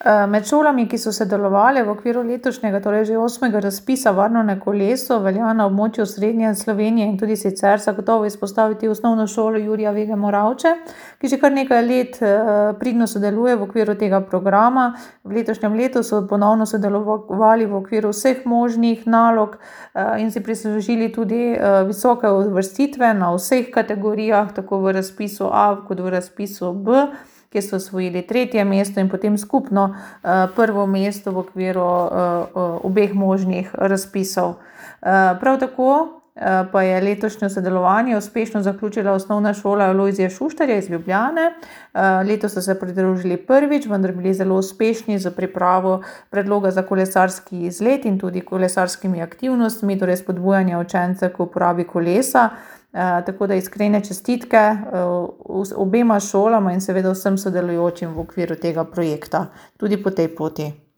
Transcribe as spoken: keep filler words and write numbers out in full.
Med šolami, ki so sodelovale v okviru letošnjega, torej že osmega razpisa Varno na kolesu, velja na območju Osrednje Slovenije in tudi sicer zagotovo izpostaviti Osnovno šolo Jurija Vege Moravče, ki že kar nekaj let pridno sodeluje v okviru tega programa. V letošnjem letu so ponovno sodelovali v okviru vseh možnih nalog in si prislužili tudi visoke uvrstitve na vseh kategorijah, tako v razpisu A kot v razpisu B, kjer so osvojili tretje mesto in potem skupno prvo mesto v okviru obeh možnih razpisov. Prav tako pa je letošnje sodelovanje uspešno zaključila Osnovna šola Alojzija Šuštarja iz Ljubljane. Letos so se pridružili prvič, vendar bili zelo uspešni s pripravo predloga za kolesarski izlet in tudi kolesarskimi aktivnostmi, torej spodbujanje učencev k uporabi kolesa. Tako da iskrene čestitke obema šolama in seveda vsem sodelujočim v okviru tega projekta, tudi po tej poti.